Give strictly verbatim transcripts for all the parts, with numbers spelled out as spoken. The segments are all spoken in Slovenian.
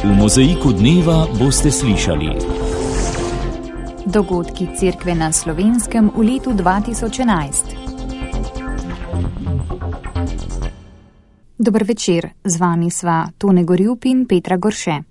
V Mozaiku dneva boste slišali: dogodki Cerkve na Slovenskem v letu dva tisoč enajst. Dober večer, z vami sva Tone Gorjup in Petra Gorše.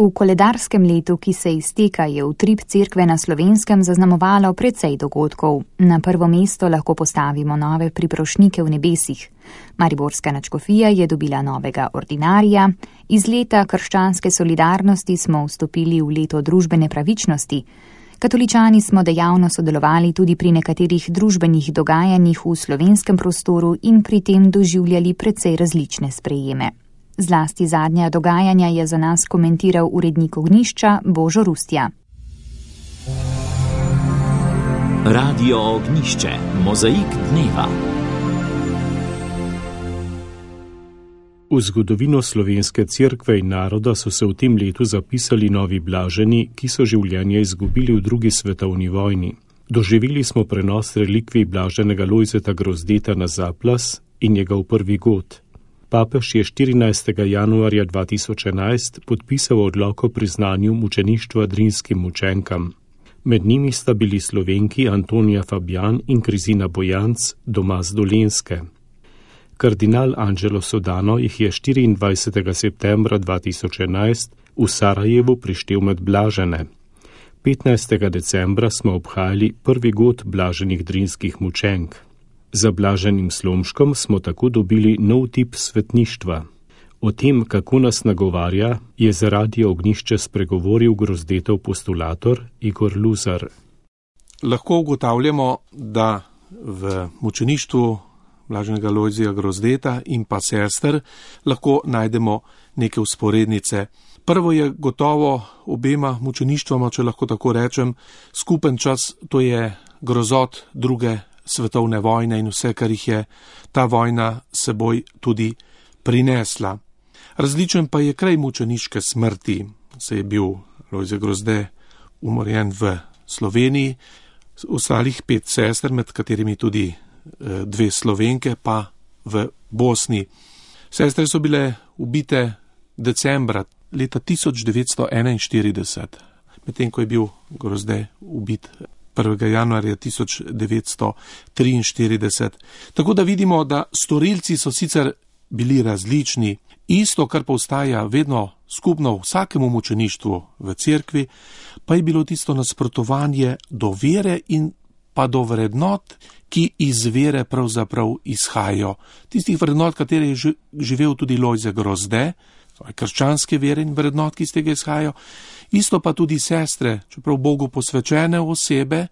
V koledarskem letu, ki se izteka, je utrip Cerkve na Slovenskem zaznamovalo precej dogodkov. Na prvo mesto lahko postavimo nove priprošnike v nebesih. Mariborska nadškofija je dobila novega ordinarija, iz leta krščanske solidarnosti smo vstopili v leto družbene pravičnosti. Katoličani smo dejavno sodelovali tudi pri nekaterih družbenih dogajanjih v slovenskem prostoru in pri tem doživljali precej različne sprejeme. Zlasti zadnja dogajanja je za nas komentiral urednik Ognjišča Božo Rustja. Radio Ognjišče, Mozaik dneva. V zgodovino slovenske cerkve in naroda so se v tem letu zapisali novi blaženi, ki so življenje izgubili v drugi svetovni vojni. Doživeli smo prenos relikvij blaženega Lojzeta Grozdeta na Zaplas in njegov prvi god. Papež je štirinajstega januarja dva tisoč enajst podpisal odlok o priznanju mučeništva drinskim mučenkam. Med njimi sta bili Slovenki Antonija Fabjan in Krizina Bojanc doma z Dolenjske. Kardinal Angelo Sodano jih je štiriindvajsetega septembra dva tisoč enajst v Sarajevu prištel med blažene. petnajstega decembra smo obhajali prvi god blaženih drinskih mučenk. Za blaženim Slomškom smo tako dobili nov tip svetništva. O tem, kako nas nagovarja, je za Radio Ognjišče spregovoril Grozdetov postulator Igor Luzar. Lahko ugotavljamo, da v mučeništvu blaženega Lojzija Grozdeta in pa sester lahko najdemo neke vzporednice. Prvo je gotovo obema mučeništvama, če lahko tako rečem, skupen čas, to je grozot druge svetovne vojne in vse, kar jih je ta vojna seboj tudi prinesla. Različen pa je kraj mučeniške smrti. Se je bil Lojze Grozde umorjen v Sloveniji, ostalih pet sester, med katerimi tudi dve Slovenke, pa v Bosni. Sestre so bile ubite decembra leta tisoč devetsto enainštirideset, medtem ko je bil Grozde ubit prvega januarja tisoč devetsto triinštirideset. Tako da vidimo, da storilci so sicer bili različni, isto, kar pa ostaja vedno skupno vsakemu mučeništvu v cerkvi, pa je bilo tisto nasprotovanje do vere in pa do vrednot, ki iz vere pravzaprav izhajajo. Tistih vrednot, katere je živel tudi Lojze Grozde, krščanske vere in vrednot, ki iz tega izhajajo. Isto pa tudi sestre, čeprav Bogu posvečene osebe,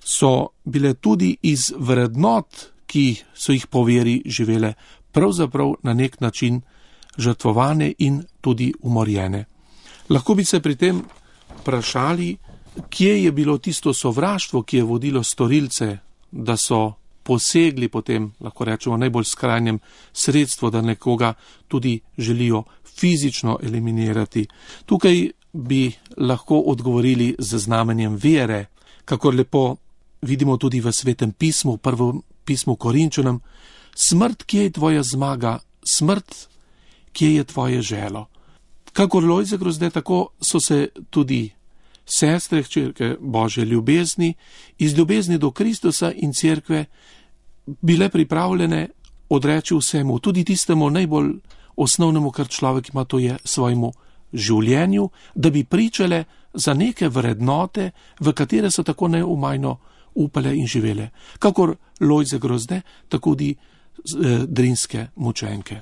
so bile tudi iz vrednot, ki so jih po veri živele, pravzaprav na nek način žrtvovane in tudi umorjene. Lahko bi se pri tem vprašali, kje je bilo tisto sovraštvo, ki je vodilo storilce, da so posegli potem, lahko rečemo, najbolj skrajnem sredstvu, da nekoga tudi želijo fizično eliminirati. Tukaj bi lahko odgovorili z znamenjem vere, kakor lepo vidimo tudi v Svetem pismu, v prvem pismu Korinčanom: smrt, kje je tvoja zmaga, smrt, kje je tvoje želo. Kakor Lojze Grozde, tako so se tudi sestre, hčerke Božje ljubezni, iz ljubezni do Kristusa in cerkve bile pripravljene odreči vsemu, tudi tistemu najbolj osnovnemu, kar človek ima, to je svojemu življenju, da bi pričale za neke vrednote, v katere so tako neumajno upale in živele. Kakor Lojze Grozde, tako tudi eh, drinske mučenke.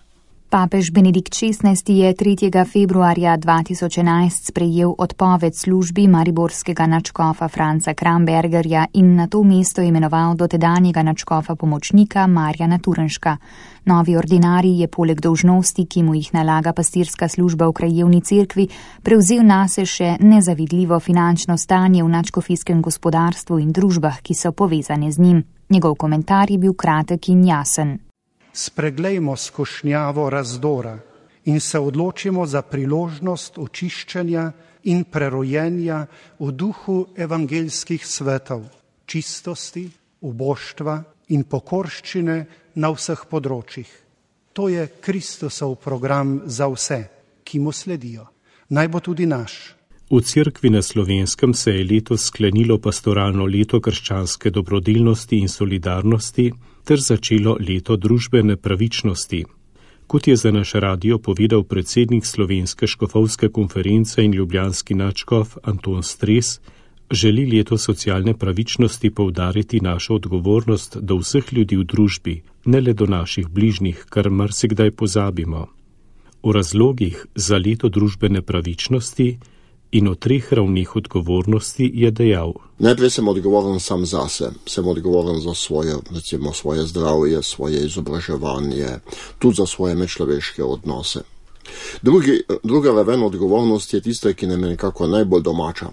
Papež Benedikt šestnajsti je tretjega februarja dva tisoč enajst sprejel odpoved službi mariborskega nadškofa Franca Krambergerja in na to mesto imenoval dotedanjega nadškofa pomočnika Marjana Turnška. Novi ordinarij je poleg dolžnosti, ki mu jih nalaga pastirska služba v krajevni cerkvi, prevzel nase še nezavidljivo finančno stanje v nadškofijskem gospodarstvu in družbah, ki so povezane z njim. Njegov komentar je bil kratek in jasen. Spreglejmo skušnjavo razdora in se odločimo za priložnost očiščenja in prerojenja v duhu evangeljskih svetov, čistosti, uboštva in pokorščine na vseh področjih. To je Kristusov program za vse, ki mu sledijo. Naj bo tudi naš. V Cerkvi na Slovenskem se je letos sklenilo pastoralno leto krščanske dobrodelnosti in solidarnosti ter začelo leto družbene pravičnosti. Kot je za naš radio povedal predsednik Slovenske škofovske konference in ljubljanski nadškof Anton Stres, želi leto socialne pravičnosti poudariti našo odgovornost do vseh ljudi v družbi, ne le do naših bližnjih, kar marsikdaj pozabimo. O razlogih za leto družbene pravičnosti in o treh ravnih odgovornosti je dejal. Najprej sem odgovoren sam zase, sem odgovoren za svoje, recimo, svoje zdravje, svoje izobraževanje, tudi za svoje medčloveške odnose. Drugi, druga raven odgovornosti je tista, ki nam je nekako najbolj domača.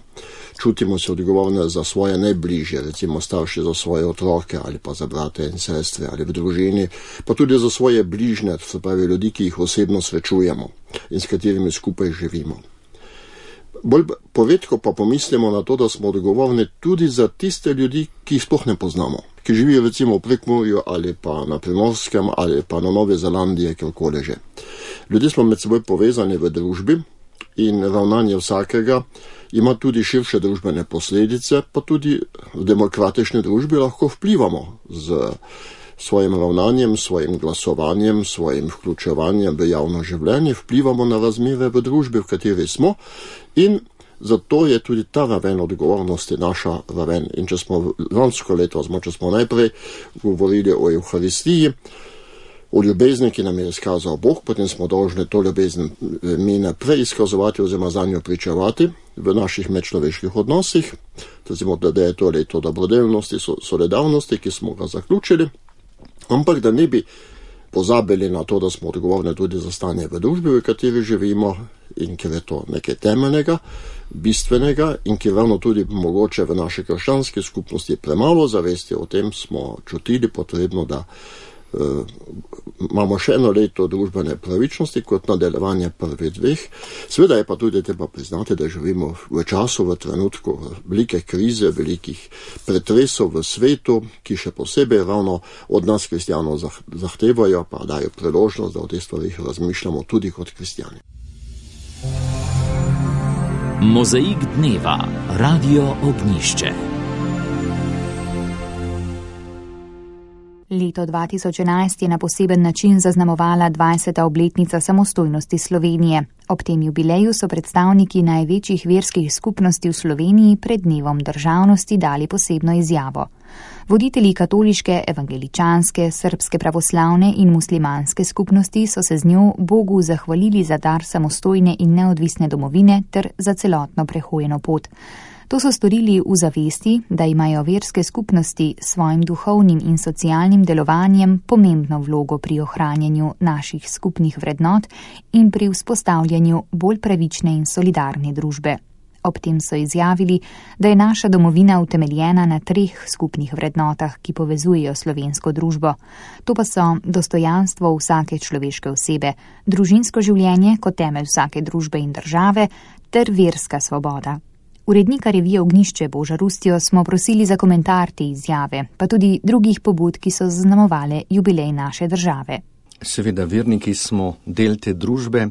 Čutimo se odgovorne za svoje najbližje, recimo starši za svoje otroke ali pa za brate in sestre ali v družini, pa tudi za svoje bližnje, se pravi ljudi, ki jih osebno srečujemo in s katerimi skupaj živimo. Bolj povedko pa pomislimo na to, da smo odgovorni tudi za tiste ljudi, ki jih sploh ne poznamo, ki živijo recimo v Prekmurju ali pa na Primorskem ali pa na Novi Zelandiji, kjerkoli že. Ljudje smo med seboj povezani v družbi in ravnanje vsakega ima tudi širše družbene posledice, pa tudi v demokratični družbi lahko vplivamo z svojim ravnanjem, svojim glasovanjem, svojim vključevanjem v javno življenje, vplivamo na razmere v družbi, v kateri smo, in zato je tudi ta raven odgovornosti naša raven. In če smo lansko leto, če smo najprej govorili o Evharistiji, o ljubezni, ki nam je izkazal Bog, potem smo dolžni to ljubezen mi naprej izkazovati oziroma za njo pričevati v naših medčloveških odnosih, recimo, da je to leto dobrodelnosti, solidarnosti, ki smo ga zaključili, ampak da ne bi pozabili na to, da smo odgovorni tudi za stanje v družbi, v kateri živimo in ker je to nekaj temeljnega, bistvenega in ki ravno tudi mogoče v naši krščanski skupnosti premalo zavesti o tem, smo čutili potrebno, da Uh, imamo še eno leto družbene pravičnosti kot nadaljevanje prvih dveh. Seveda je pa tudi treba priznati, da živimo v času, v trenutku velike krize, velikih pretresov v svetu, ki še posebej ravno od nas kristjanov zahtevajo, pa dajo priložnost, da o teh stvarih razmišljamo tudi kot kristjani. Mozaik dneva, Radio Ognjišče. Leto dva tisoč enajst je na poseben način zaznamovala dvajseta obletnica samostojnosti Slovenije. Ob tem jubileju so predstavniki največjih verskih skupnosti v Sloveniji pred dnevom državnosti dali posebno izjavo. Voditelji katoliške, evangeličanske, srbske pravoslavne in muslimanske skupnosti so se z njo Bogu zahvalili za dar samostojne in neodvisne domovine ter za celotno prehojeno pot. To so storili v zavesti, da imajo verske skupnosti s svojim duhovnim in socialnim delovanjem pomembno vlogo pri ohranjanju naših skupnih vrednot in pri vzpostavljanju bolj pravične in solidarne družbe. Ob tem so izjavili, da je naša domovina utemeljena na treh skupnih vrednotah, ki povezujejo slovensko družbo. To pa so dostojanstvo vsake človeške osebe, družinsko življenje kot temelj vsake družbe in države ter verska svoboda. Urednika revije Ognjišče Boža Rustjo smo prosili za komentar te izjave, pa tudi drugih pobud, ki so zaznamovale jubilej naše države. Seveda, verniki smo del te družbe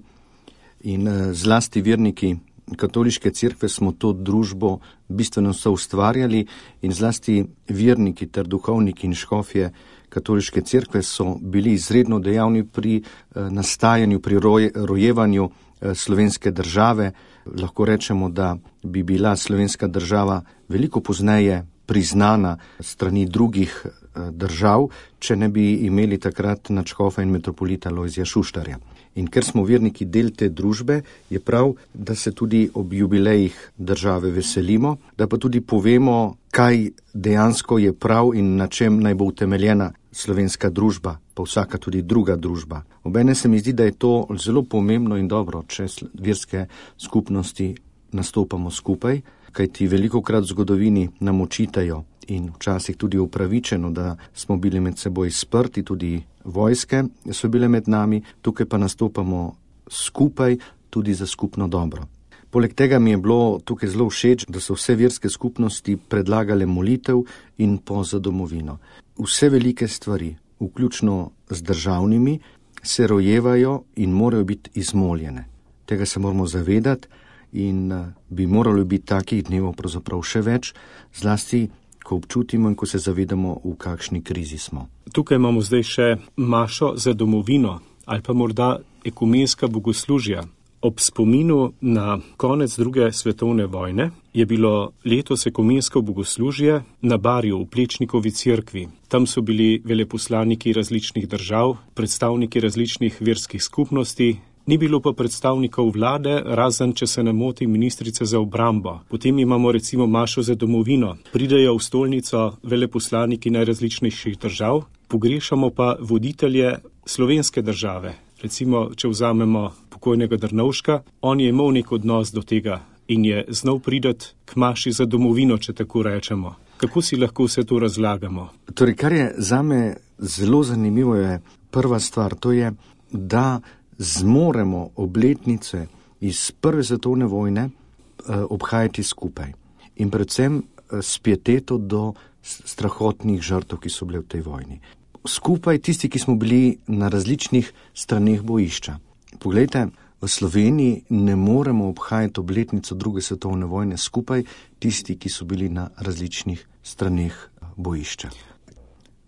in zlasti verniki katoliške cerkve smo to družbo bistveno soustvarjali in zlasti verniki ter duhovniki in škofje katoliške cerkve so bili izredno dejavni pri nastajanju, pri roje, rojevanju slovenske države. Lahko rečemo, da bi bila slovenska država veliko pozneje priznana strani drugih držav, če ne bi imeli takrat nadškofa in metropolita Lojzija Šuštarja. In ker smo verniki del te družbe, je prav, da se tudi ob jubilejih države veselimo, da pa tudi povemo, kaj dejansko je prav in na čem naj bo utemeljena slovenska družba, pa vsaka tudi druga družba. Obene se mi zdi, da je to zelo pomembno in dobro, če verske skupnosti nastopamo skupaj, kajti velikokrat v zgodovini nam očitajo in včasih tudi upravičeno, da smo bili med seboj sprti, tudi vojske so bile med nami, tukaj pa nastopamo skupaj tudi za skupno dobro. Poleg tega mi je bilo tukaj zelo všeč, da so vse verske skupnosti predlagale molitev in po za domovino. Vse velike stvari, vključno z državnimi, se rojevajo in morajo biti izmoljene. Tega se moramo zavedati in bi moralo biti takih dnevov pravzaprav še več, zlasti ko občutimo in ko se zavedamo, v kakšni krizi smo. Tukaj imamo zdaj še mašo za domovino ali pa morda ekumenska bogoslužja. Ob spominu na konec druge svetovne vojne je bilo letos ekumensko bogoslužje na Barju v Plečnikovi cerkvi. Tam so bili veleposlaniki različnih držav, predstavniki različnih verskih skupnosti, ni bilo pa predstavnikov vlade, razen, če se ne moti, ministrice za obrambo. Potem imamo recimo mašo za domovino. Pridejo v stolnico veleposlaniki najrazličnejših držav, pogrešamo pa voditelje slovenske države. Recimo, če vzamemo pokojnega Drnovška, on je imel nek odnos do tega in je znal pridati k maši za domovino, če tako rečemo. Kako si lahko vse to razlagamo? Torej, kar je zame zelo zanimivo, je prva stvar, to je, da zmoremo obletnice iz prve svetovne vojne eh, obhajati skupaj. In predvsem eh, s pieteto do strahotnih žrtev, ki so bile v tej vojni. Skupaj tisti, ki smo bili na različnih straneh bojišča. Poglejte, v Sloveniji ne moremo obhajati obletnico druge svetovne vojne skupaj tisti, ki so bili na različnih straneh bojišča.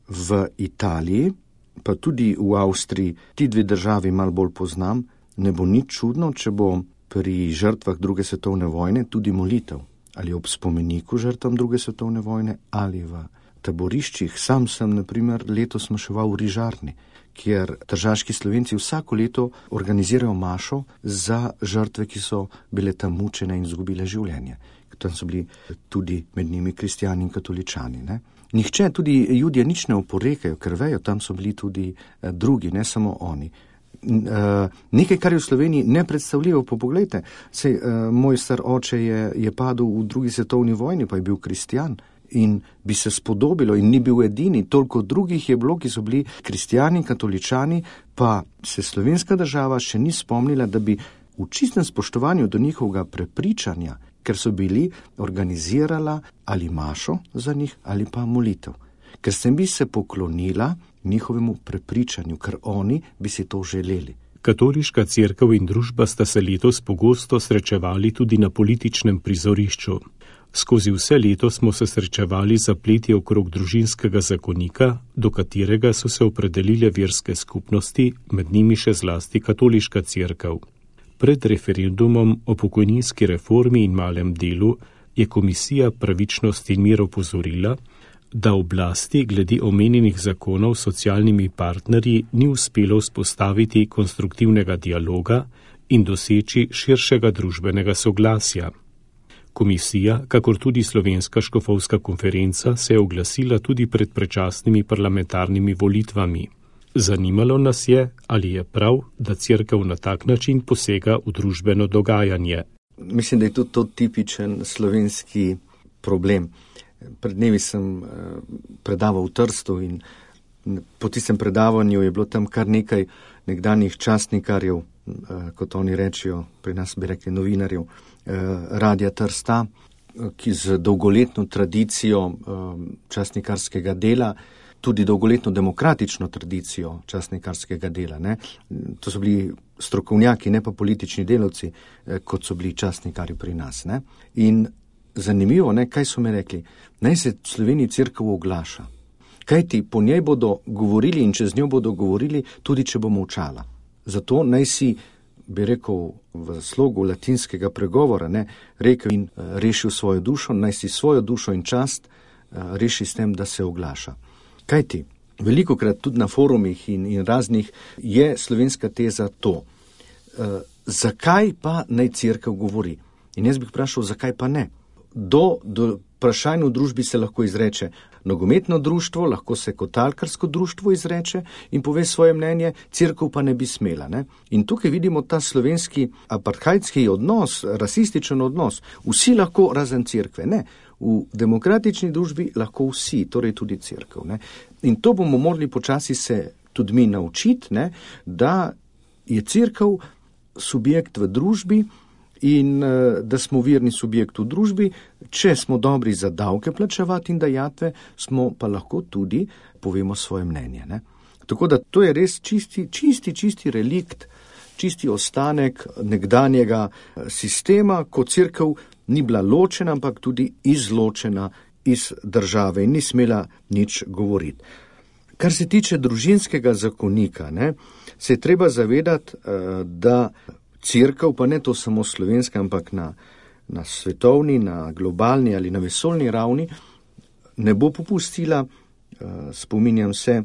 V Italiji, pa tudi v Avstriji, ti dve državi malo bolj poznam, ne bo nič čudno, če bo pri žrtvah druge svetovne vojne tudi molitev. Ali ob spomeniku žrtvam druge svetovne vojne, ali v taboriščih. Sam sem, na primer, letos maševal v Rižarni, kjer tržaški Slovenci vsako leto organizirajo mašo za žrtve, ki so bile tam mučene in izgubile življenje. Tam so bili tudi med njimi kristjani in katoličani. Ne? Nihče, tudi Judje, nič ne oporekajo, ker vejo, tam so bili tudi eh, drugi, ne samo oni. Uh, nekaj, kar je v Sloveniji nepredstavljivo, pa poglejte, sej, uh, moj star oče je, je padel v drugi svetovni vojni, pa je bil kristjan in bi se spodobilo in ni bil edini, toliko drugih je bilo, ki so bili kristjani, katoličani, pa se slovenska država še ni spomnila, da bi v čistem spoštovanju do njihovega prepričanja, ker so bili, organizirala ali mašo za njih ali pa molitev. Ker sem bi se poklonila njihovemu prepričanju, ker oni bi si to želeli. Katoliška cerkev in družba sta se letos pogosto srečevali tudi na političnem prizorišču. Skozi vse leto smo se srečevali zapleti okrog družinskega zakonika, do katerega so se opredelile verske skupnosti, med njimi še zlasti katoliška cerkev. Pred referendumom o pokojninski reformi in malem delu je Komisija pravičnosti in mir opozorila, da oblasti glede omenjenih zakonov s socialnimi partnerji ni uspelo vzpostaviti konstruktivnega dialoga in doseči širšega družbenega soglasja. Komisija, kakor tudi Slovenska škofovska konferenca, se je oglasila tudi pred predčasnimi parlamentarnimi volitvami. Zanimalo nas je, ali je prav, da cerkev na tak način posega v družbeno dogajanje. Mislim, da je tudi to tipičen slovenski problem. Pred dnevi sem predaval v Trstu in po tistem predavanju je bilo tam kar nekaj nekdanjih častnikarjev, kot oni rečijo, pri nas bi rekli novinarjev, Radia Trsta, ki z dolgoletno tradicijo častnikarskega dela, tudi dolgoletno demokratično tradicijo častnikarskega dela. Ne? To so bili strokovnjaki, ne pa politični delavci, kot so bili častnikari pri nas. Ne? In zanimivo, ne, kaj so mi rekli, naj se v Sloveniji cerkev oglaša. Kaj ti, po njej bodo govorili in čez njo bodo govorili, tudi če bo molčala. Zato naj si, bi rekel v slogu latinskega pregovora, ne, rekel in rešil svojo dušo, naj si svojo dušo in čast reši s tem, da se oglaša. Kaj ti, velikokrat tudi na forumih in, in raznih je slovenska teza to, e, zakaj pa naj cerkev govori? In jaz bih vprašal, zakaj pa ne? Do, do vprašanj v družbi se lahko izreče nogometno društvo, lahko se kotalkarsko društvo izreče in pove svoje mnenje, cerkev pa ne bi smela. Ne? In tukaj vidimo ta slovenski apartheidski odnos, rasističen odnos. Vsi lahko razen cerkve. Ne. V demokratični družbi lahko vsi, torej tudi cerkev. Ne. In to bomo morali počasi se tudi mi naučiti, ne, da je cerkev subjekt v družbi in da smo verni subjekt v družbi. Če smo dobri za davke plačevati in dajatve, smo pa lahko tudi povemo svoje mnenje. Ne? Tako da to je res čisti, čisti, čisti relikt, čisti ostanek nekdanjega sistema, ko cerkev ni bila ločena, ampak tudi izločena iz države in ni smela nič govoriti. Kar se tiče družinskega zakonika, ne, se je treba zavedati, da cerkev, pa ne to samo slovenska, ampak na, na svetovni, na globalni ali na vesoljni ravni, ne bo popustila. Spominjam se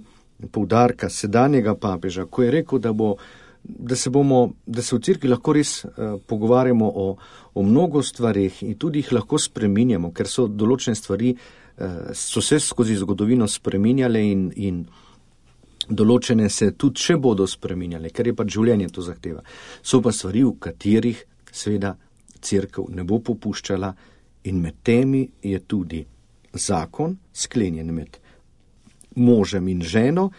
poudarka sedanjega papeža, ko je rekel, da, bo, da, se, bomo, da se v cerkvi lahko res pogovarjamo o, o mnogo stvarih in tudi jih lahko spreminjamo, ker so določene stvari, so se skozi zgodovino spreminjale in, in določene se tudi še bodo spreminjale, ker je pač življenje to zahteva. So pa stvari, v katerih seveda cerkev ne bo popuščala in med temi je tudi zakon sklenjen med možem in ženo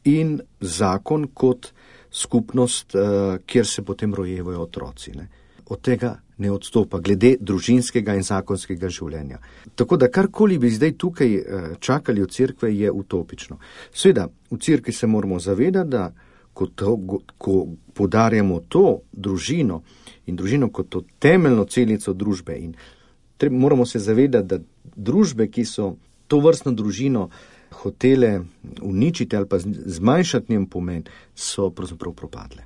in zakon kot skupnost, kjer se potem rojevajo otroci. Ne. Od tega ne odstopa, glede družinskega in zakonskega življenja. Tako da karkoli bi zdaj tukaj čakali od cerkve, je utopično. Sveda, v cerkvi se moramo zavedati, da ko, to, ko podarjamo to družino in družino kot to temeljno celico družbe in treba, moramo se zavedati, da družbe, ki so to vrstno družino hotele uničiti ali pa zmanjšati njen pomen, so pravzaprav propadle.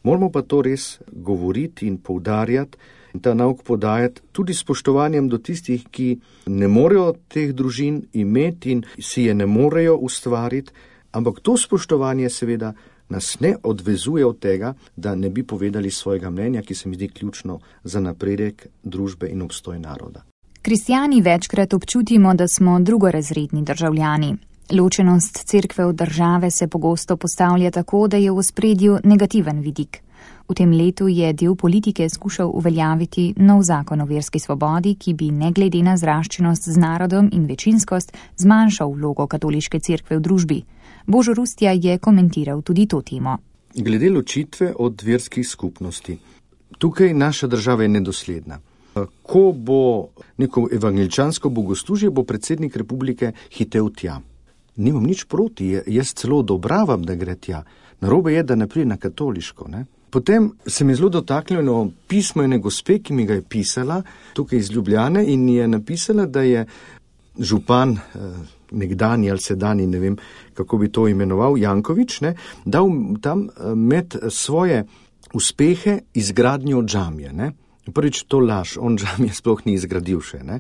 Moramo pa to res govoriti in poudarjati in ta nauk podajati tudi spoštovanjem do tistih, ki ne morejo teh družin imeti in si je ne morejo ustvariti, ampak to spoštovanje seveda nas ne odvezuje od tega, da ne bi povedali svojega mnenja, ki se mi zdi ključno za napredek družbe in obstoj naroda. Kristjani večkrat občutimo, da smo drugorazredni državljani. Ločenost cerkve od države se pogosto postavlja tako, da je v ospredju negativen vidik. V tem letu je del politike skušal uveljaviti nov zakon o verski svobodi, ki bi ne glede na zraščenost z narodom in večinskost zmanjšal vlogo katoliške cerkve v družbi. Božo Rustja je komentiral tudi to temo. Glede ločitve od verskih skupnosti. Tukaj naša država je nedosledna. Ko bo neko evangeličansko bogoslužje, bo predsednik republike hitel tja. Nimam nič proti, jaz celo odobravam, da gre tja. Narobe je, da ne pride na katoliško. Ne? Potem se mi zelo dotaknilo pismo ene gospe, ki mi ga je pisala tukaj iz Ljubljane in je napisala, da je župan, nekdanji ali sedanji, ne vem, kako bi to imenoval, Janković, ne, dal tam med svoje uspehe izgradnjo džamije. Ne? Prvič to laž, on džamije sploh ni izgradil še. Ne?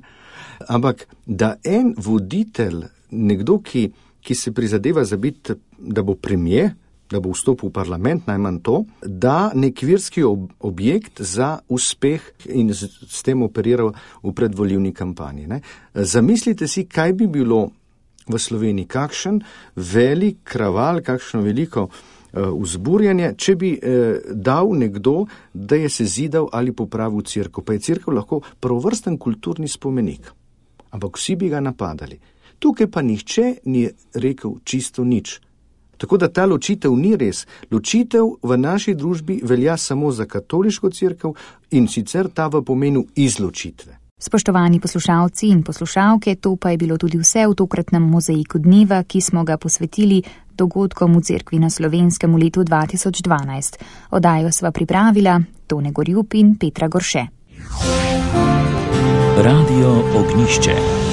Ampak da en voditelj, nekdo, ki, ki se prizadeva za biti, da bo premier, da bo vstopil v parlament, najmanj to, da nek verski ob, objekt za uspeh in s, s tem operiral v predvolilni kampanji. Ne? Zamislite si, kaj bi bilo v Sloveniji, kakšen velik kraval, kakšno veliko vzburjanje, če bi eh, dal nekdo, da je se zidal ali popravil cerkev. Pa je cerkev lahko prvovrsten kulturni spomenik. Ampak vsi bi ga napadali. Tukaj pa nihče ni rekel čisto nič. Tako da ta ločitev ni res. Ločitev v naši družbi velja samo za katoliško cerkev in sicer ta v pomenu izločitve. Spoštovani poslušalci in poslušalke, to pa je bilo tudi vse v tokratnem mozaiku dneva, ki smo ga posvetili dogodkom v cerkvi na Slovenskem v letu dva tisoč dvanajst. Oddajo sva pripravila Tone Gorjup in Petra Gorše. Radio Ognjišče.